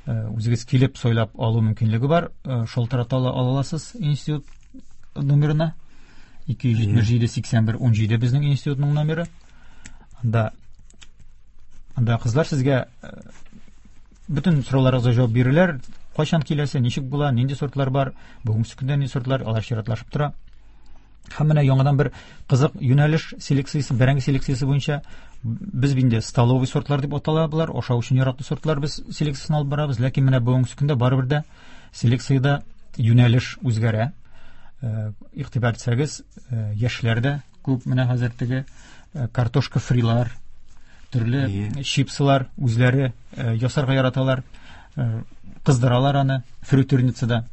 Speaker 4: үзегез килеп сайлап алу мөмкинлеге бар. Шалтырата аласыз институт номерына. 277 81 17 безнең институтның номеры. Анда кызлар сезгә бөтен сорауларыгызга җавап бирерләр. Кайчан киләсе, ничек була, нинди сортлар бар, бүгенге көндә нинди сортлар, алар чиратлашып тора. Һәм менә яңадан бер кызык юнәлеш селекциясе, бәрәңге селекциясе буенча без инде столовый сортлар дип атала болар, ашау өчен яраклы сортлар без селекциясен алып барабыз, ләкин менә бүгенге көндә барыбер дә селекциядә юнәлеш үзгәрә. Игътибар итсәгез, яшьләр дә күп менә хәзер теге картошка фрилар, төрле чипсылар үзләре ясарга яраталар, кыздыралар аны фритюрницада.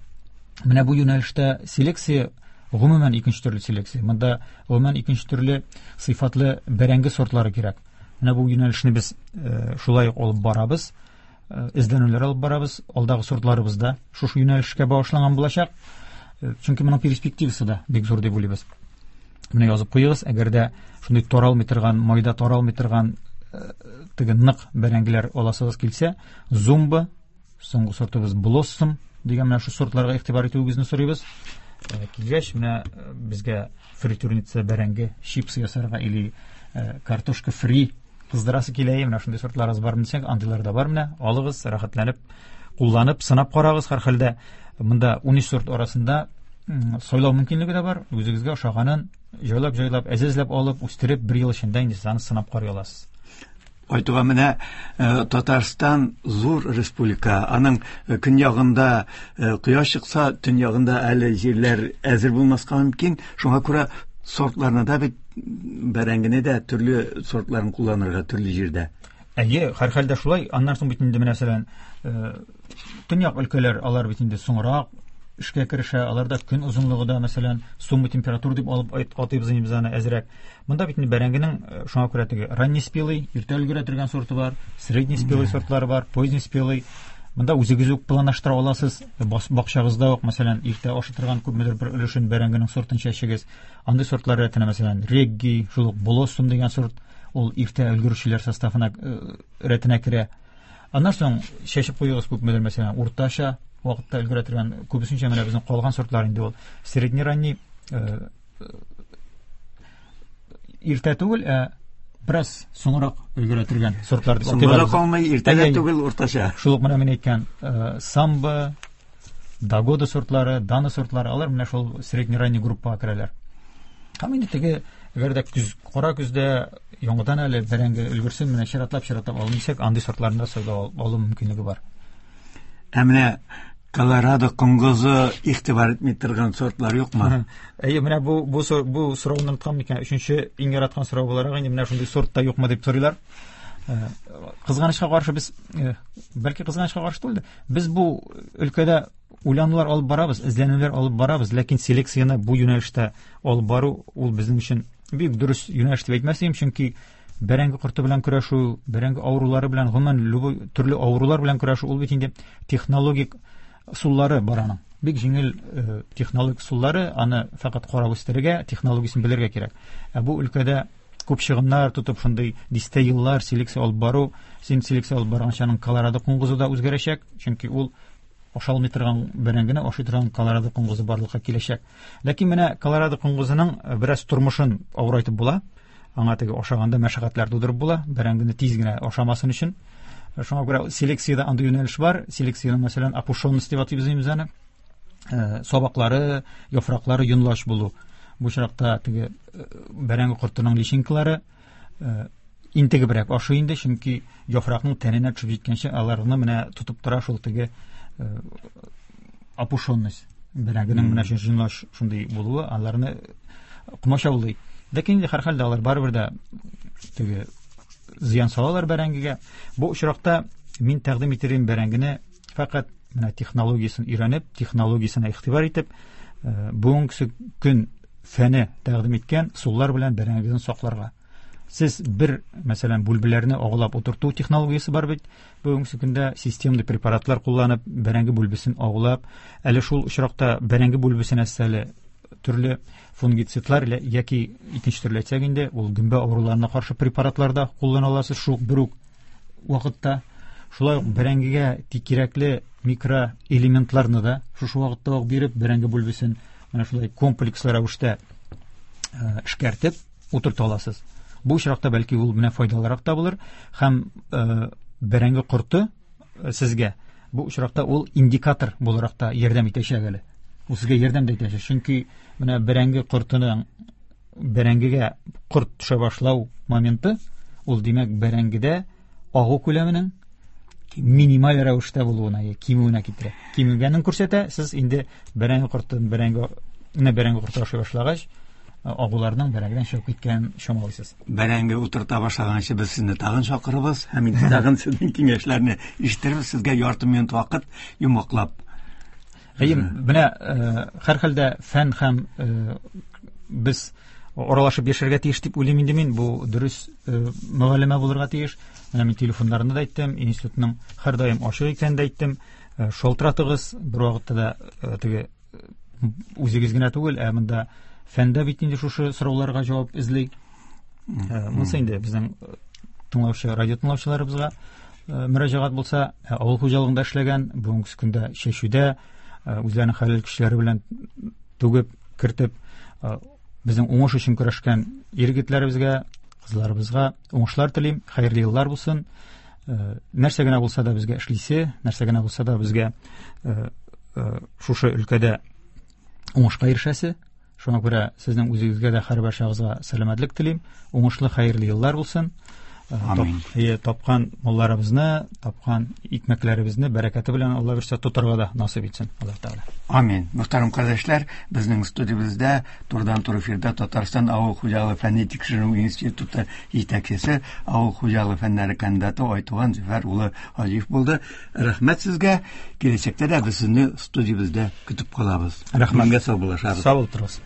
Speaker 4: Менә бу юнәлештә селекция гомумән икенче төрле селекция. Монда гомумән икенче төрле сыйфатлы бәрәңге сортлары кирәк. Менә бу юнәлешне без шулай ук алып барабыз, эзләнүләр алып барабыз. Алдагы сортларыбыз да шушы юнәлешкә багышланган булачак. Чөнки моның перспективасы да бик зур дип уйлыйбыз. Менә язып куегыз, әгәр дә шундый таралмый торган, майда таралмый торган теге нык бәрәңгеләр аласыгыз килсә, Зумба, соңгы сортыбыз Блоссом дигән менә шу сортларга игътибар итүегезне сорыйбыз. Килгәч, менә безгә фритюрница бәрәңге чипсы ясарга или картошка фри кыздырасы килә, менә шундый сортларыбыз бар дисәк, андыйлар да бар менә. Алыгыз, рәхәтләнеп кулланып, сынап карагыз. Һәрхәлдә монда 13 сорт арасында сайлау мөмкинлеге дә бар. Үзегезгә ошаганын җайлап-җайлап, әзәзләп алып, үстереп, бер ел эчендә инде сез аны сынап карый аласыз.
Speaker 3: Айтуға менә Татарстан зур республика. Аның көньягында кояш чыкса, төньягында әле җирләр әзер булмаска мөмкин. Шуңа күрә сортларны да бит, бәрәңгене дә төрле сортларын кулланырга төрле җирдә.
Speaker 4: Әйе, һәрхәлдә шулай. Аннан соң бит инде менә мәсәлән, төньяк өлкәләр, алар бит инде соңрак эшкә керешә, аларда көн озынлыгы да, мәсәлән, сумма температура дип алып атыйбыз инде без аны әзрәк. Монда бит инде бәрәңгенең шуңа күрә теге ранний спелый, иртә өлгерә торган сорты бар, средний спелый сортлары бар, поздний спелый. Монда үзегез үк планлаштыра аласыз. Бакчагызда ук, мәсәлән, иртә ашый торган күпмедер бер өлешен бәрәңгенең сортын чәчегез. Андый сортлар рәтенә, мәсәлән, Регги, шул ук Блоссом дигән сорт, ул иртә өлгерүчеләр составына рәтенә керә. Аннан соң чәчеп куегыз күпмедер, мәсәлән, уртача вакытта өлгерә торган, күбесенчә менә безнең калган сортлар инде ул средний-ранний, иртә түгел, ә бераз соңрак өлгерә торган сортлар дип
Speaker 3: атыйлар. Соңрак калмый, иртә дә түгел, уртача.
Speaker 4: Шул ук менә мин әйткән Самба, Дагода сортлары, Дана сортлары, алар менә шул средний-ранний группага керәләр. Һәм инде теге, әгәр дә көз, кара көздә яңадан әле бәрәңге өлгерсен, менә чиратлап-чиратлап алын дисәк, андый сортларны да сайлап алу мөмкинлеге бар.
Speaker 3: Ә менә Колорадо коңгызы игътибар итми торган сортлар юкмы?
Speaker 4: Әйе, менә бу сорауны оныткан микән? Өченче иң яраткан сорау буларак инде менә шундый сорт та юкмы дип сорыйлар. Кызганычка каршы без, бәлки кызганычка каршы түгел, без бу өлкәдә уйланулар алып барабыз, эзләнүләр алып барабыз, ләкин селекцияне бу юнәлештә алып бару ул безнең өчен бик дөрес юнәлеш дип әйтмәс идем, чөнки бәрәңге корты белән көрәшү, бәрәңге авырулары белән, гомумән, любой төрле авырулар белән көрәшү, ул бит инде технологик ысуллары бар аның. Бик җиңел технологик ысуллары, аны фәкать карап үстерергә, технологиясен белергә кирәк. Ә бу өлкәдә күп чыгымнар тотып, шундый дистә еллар селекция алып бару, син селекция алып барганча аның Колорадо коңгызы да үзгәрәчәк, чөнки ул ашалмый торган бәрәңгене ашый торган Колорадо коңгызы барлыкка киләчәк. Ләкин менә Колорадо коңгызының бераз тормышын авырайтып була. Аңа теге ашаганда мәшәкатьләр тудырып була, бәрәңгене тиз генә ашамасын өчен. Шуңа күрә селекциядә андый юнәлеш бар. Селекциянең, мәсәлән, опушенность дип атыйбыз инде без аны. Сабаклары, яфраклары йонлач булу. Бу очракта теге бәрәңге кортының личинкалары интегебрәк ашый инде, чөнки яфракның тәненә төшеп җиткәнче аларны менә тотып тора шул теге опушенность. Бәрәңгенең менә йонлач шундый булуы аларны комачаулый. Ләкин инде һәрхәлдә алар барыбер дә теге зыян салалар бәрәңгегә. Бу очракта мин тәкъдим итер идем бәрәңгене фәкать менә технологиясен өйрәнеп, технологиясенә игътибар итеп, бүгенге көн фәне тәкъдим иткән ысуллар белән бәрәңгене сакларга. Сез бер, мәсәлән, бүлбеләрне агулап утырту технологиясе бар бит. Бүгенге көндә системный препаратлар кулланып, бәрәңге бүлбесен агулап, әле шул очракта бәрәңге бүлбесенә әле төрле фунгицидлар яки икенче төрле әйтсәк инде, ул гөмбә авыруларына каршы препаратлар да куллана аласыз шул бер үк вакытта. Шулай ук бәрәңгегә кирәкле микроэлементларны да шушы вакытта ук биреп, бәрәңге бүлбесен менә шулай комплекслы рәвештә эшкәртеп утырта аласыз. Бу очракта бәлки ул менә файдалырак та булыр һәм бәрәңге корты сезгә бу очракта ул индикатор буларак та ярдәм итәчәк әле. Ул сезгә ярдәм дә итәчәк, чөнки менә бәрәңге кортының бәрәңгегә корт төшә башлау моменты, ул димәк бәрәңгедә агу күләменең минималь рәвештә булуына, я кимүенә китерә. Кимегәнен күрсәтә, сез инде бәрәңге кортын, бәрәңге, менә бәрәңге корты ашый башлагач, агуларның бәрәңгедән чыгып киткәнен чамалыйсыз.
Speaker 3: Бәрәңге утырта башлаганчы без сезне тагын чакырабыз һәм инде тагын сезнең киңәшләрне ишетербез. Сезгә ярты минут вакыт йомгаклап.
Speaker 4: Әйе, менә һәрхәлдә фән һәм без аралашып яшәргә тиеш дип уйлыйм инде мин. Бу дөрес мөгалләмә булырга тиеш. Менә мин телефоннарны да әйттем, институтның һәрдаим ачык икәнен дә әйттем. Шалтыратыгыз, бер вакытта да теге үзегез генә түгел, ә монда фәндә бит инде шушы сорауларга җавап эзли. Монысы инде безнең тыңлаучы, радио тыңлаучыларыбызга мөрәҗәгать булса, авыл хуҗалыгында эшләгән, бүгенге көндә чәчүдә үзләренең хәләл көчләре белән түгеп, кертеп, безнең уңыш өчен көрәшкән ир-егетләребезгә, кызларыбызга уңышлар телим, хәерле еллар булсын. Нәрсә генә булса да безгә эшлисе, нәрсә генә булса да безгә шушы өлкәдә уңышка ирешәсе. Шуңа күрә сезнең үзегезгә дә һәрберчагызга сәламәтлек телим. Уңышлы, хәерле еллар булсын.
Speaker 3: Амин.
Speaker 4: Тапкан малларыбызны, тапкан икмәкләребезне бәрәкәте белән Алла бирсә тотарга да насыйп итсен Аллаһ Тәгалә.
Speaker 3: Амин. Мөхтәрәм кардәшләр, безнең студиябездә турыдан-туры эфирда Татарстан авыл хуҗалыгы фәнни тикшеренү институты җитәкчесе, авыл хуҗалыгы фәннәре кандидаты Айтуган Зөфәр улы Хаҗиев булды. Рәхмәт сезгә. Киләчәктә дә без сезне студиябездә көтеп калабыз.
Speaker 4: Рәхмәт.
Speaker 3: Бүгенгә сау булышабыз.
Speaker 4: Сау булып торыгыз.